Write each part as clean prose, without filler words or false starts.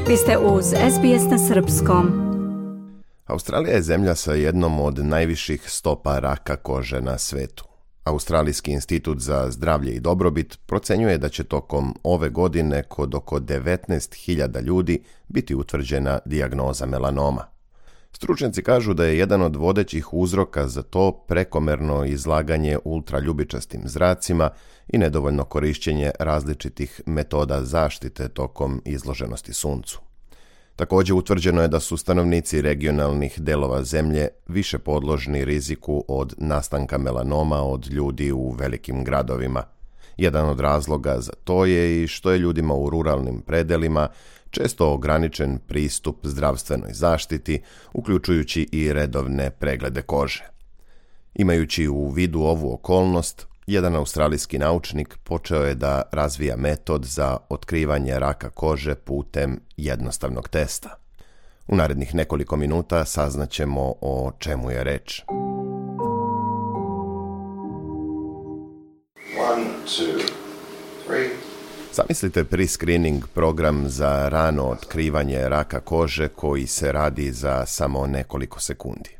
Vi ste uz SBS na srpskom. Australija je zemlja sa jednom od najviših stopa raka kože na svetu. Australijski institut za zdravlje i dobrobit procenjuje da će tokom ove godine kod oko 19.000 ljudi biti utvrđena dijagnoza melanoma. Stručnjaci kažu da je jedan od vodećih uzroka za to prekomerno izlaganje ultraljubičastim zracima i nedovoljno korišćenje različitih metoda zaštite tokom izloženosti suncu. Također utvrđeno je da su stanovnici regionalnih delova zemlje više podložni riziku od nastanka melanoma od ljudi u velikim gradovima. Jedan od razloga za to je i što je ljudima u ruralnim predelima često ograničen pristup zdravstvenoj zaštiti, uključujući i redovne preglede kože. Imajući u vidu ovu okolnost, jedan australijski naučnik počeo je da razvija metod za otkrivanje raka kože putem jednostavnog testa. U narednih nekoliko minuta saznaćemo o čemu je reč. 1, 2, 3. Zamislite pre-screening program za rano otkrivanje raka kože koji se radi za samo nekoliko sekundi.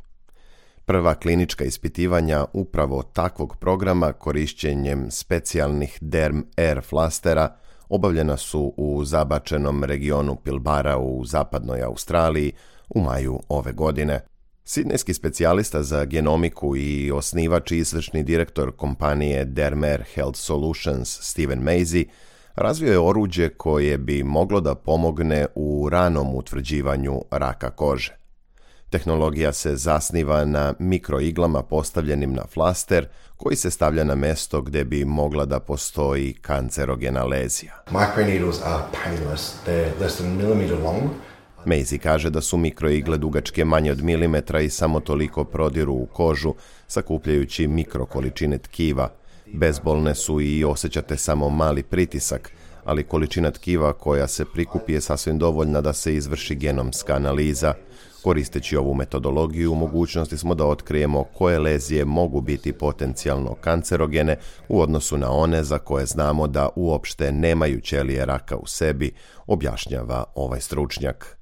Prva klinička ispitivanja upravo takvog programa korišćenjem specijalnih Derm Air flastera obavljena su u zabačenom regionu Pilbara u zapadnoj Australiji u maju ove godine. Sidnejski specijalista za genomiku i osnivač i izvršni direktor kompanije Derm Air Health Solutions Steven Mazy razvio je oruđe koje bi moglo da pomogne u ranom utvrđivanju raka kože. Tehnologija se zasniva na mikroiglama postavljenim na flaster koji se stavlja na mesto gdje bi mogla da postoji kancerogena lezija. Microneedles are painless. They're less than a millimeter long. Mazy kaže da su mikroigle dugačke manje od milimetra i samo toliko prodiru u kožu, sakupljajući mikrokoličine tkiva. Bezbolne su i osjećate samo mali pritisak, ali količina tkiva koja se prikupi je sasvim dovoljna da se izvrši genomska analiza. Koristeći ovu metodologiju, u mogućnosti smo da otkrijemo koje lezije mogu biti potencijalno kancerogene u odnosu na one za koje znamo da uopšte nemaju ćelije raka u sebi, objašnjava ovaj stručnjak.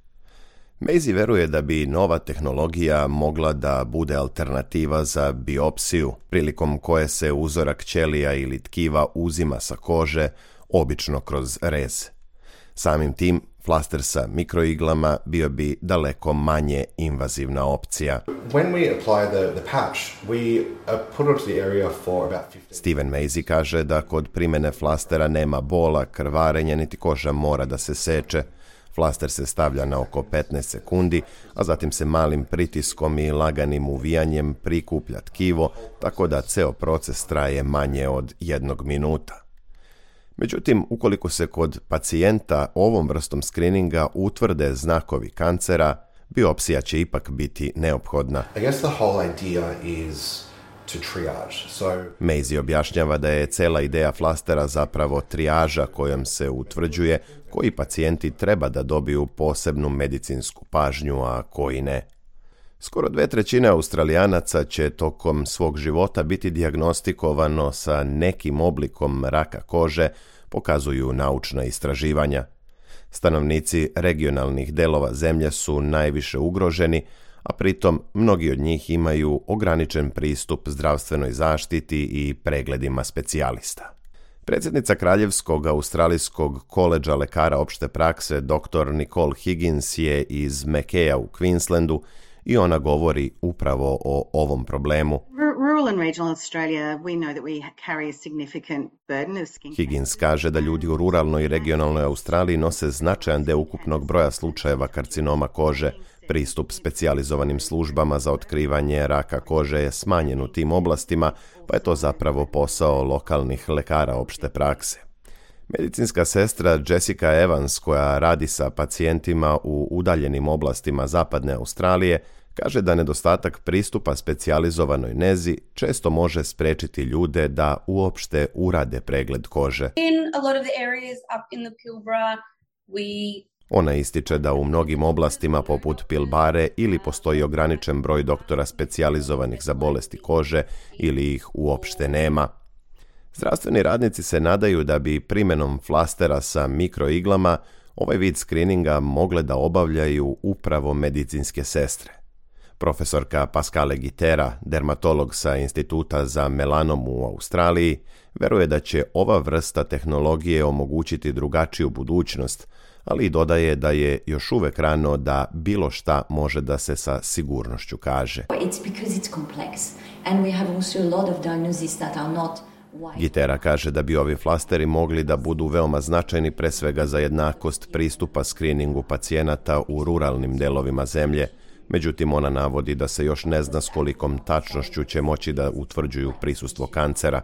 Mazy veruje da bi nova tehnologija mogla da bude alternativa za biopsiju, prilikom koje se uzorak ćelija ili tkiva uzima sa kože, obično kroz rez. Samim tim, flaster sa mikroiglama bio bi daleko manje invazivna opcija. When we apply the patch, we put it to the area for about 15. Steven Mazy kaže da kod primjene flastera nema bola, krvarenja, niti koža mora da se seče. Flaster se stavlja na oko 15 sekundi, a zatim se malim pritiskom i laganim uvijanjem prikuplja tkivo, tako da ceo proces traje manje od 1 minuta. Međutim, ukoliko se kod pacijenta ovom vrstom skrininga utvrde znakovi kancera, biopsija će ipak biti neophodna. I guess the whole idea is to triage. Mazy objašnjava da je cela ideja flastera zapravo trijaža kojom se utvrđuje koji pacijenti treba da dobiju posebnu medicinsku pažnju, a koji ne. Skoro 2/3 Australijanaca će tokom svog života biti dijagnostikovano sa nekim oblikom raka kože, pokazuju naučna istraživanja. Stanovnici regionalnih delova zemlje su najviše ugroženi, a pritom mnogi od njih imaju ograničen pristup zdravstvenoj zaštiti i pregledima specijalista. Predsjednica Kraljevskog australijskog koledža lekara opšte prakse dr. Nicole Higgins je iz Mackaye u Queenslandu i ona govori upravo o ovom problemu. Higgins kaže da ljudi u ruralnoj i regionalnoj Australiji nose značajan deo ukupnog broja slučajeva karcinoma kože. Pristup specijalizovanim službama za otkrivanje raka kože je smanjen u tim oblastima, pa je to zapravo posao lokalnih lekara opšte prakse. Medicinska sestra Jessica Evans, koja radi sa pacijentima u udaljenim oblastima zapadne Australije, kaže da nedostatak pristupa specijalizovanoj nezi često može sprečiti ljude da uopšte urade pregled kože. Ona ističe da u mnogim oblastima poput Pilbare ili postoji ograničen broj doktora specijalizovanih za bolesti kože ili ih uopšte nema. Zdravstveni radnici se nadaju da bi primjenom flastera sa mikroiglama ovaj vid skrininga mogle da obavljaju upravo medicinske sestre. Profesorka Pascale Gitera, dermatolog sa Instituta za melanom u Australiji, veruje da će ova vrsta tehnologije omogućiti drugačiju budućnost, ali i dodaje da je još uvek rano da bilo šta može da se sa sigurnošću kaže. Gitera kaže da bi ovi flasteri mogli da budu veoma značajni pre svega za jednakost pristupa skriningu pacijenata u ruralnim delovima zemlje. Međutim, ona navodi da se još ne zna s kolikom tačnošću će moći da utvrđuju prisustvo kancera.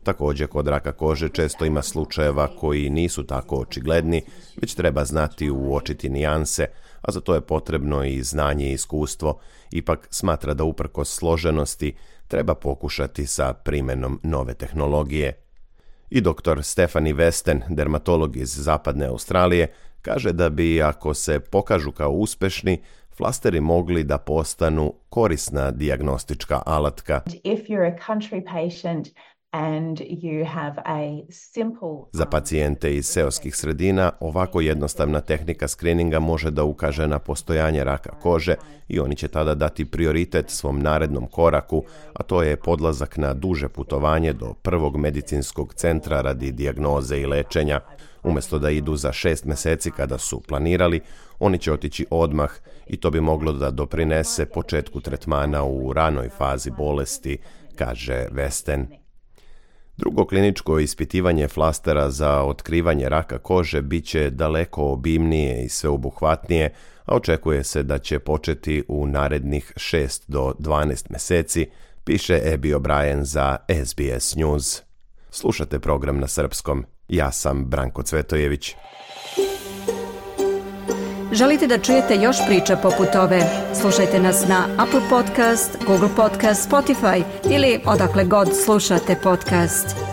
Također, kod raka kože često ima slučajeva koji nisu tako očigledni, već treba znati uočiti nijanse, a za to je potrebno i znanje i iskustvo. Ipak smatra da uprkos složenosti treba pokušati sa primenom nove tehnologije. I dr. Stephanie Westen, dermatolog iz zapadne Australije, kaže da bi, ako se pokažu kao uspešni, flasteri mogli da postanu korisna dijagnostička alatka. Za pacijente iz seoskih sredina ovako jednostavna tehnika skrininga može da ukaže na postojanje raka kože i oni će tada dati prioritet svom narednom koraku, a to je podlazak na duže putovanje do prvog medicinskog centra radi dijagnoze i lečenja. Umjesto da idu za 6 meseci kada su planirali, oni će otići odmah i to bi moglo da doprinese početku tretmana u ranoj fazi bolesti, kaže Westen. Drugo kliničko ispitivanje flastera za otkrivanje raka kože biće daleko obimnije i sveobuhvatnije, a očekuje se da će početi u narednih 6 do 12 meseci, piše Abby O'Brien za SBS News. Slušate program na srpskom. Ja sam Branko Cvetojević. Želite da čujete još priča poput ove? Slušajte nas na Apple Podcast, Google Podcast, Spotify ili odakle god slušate podcast.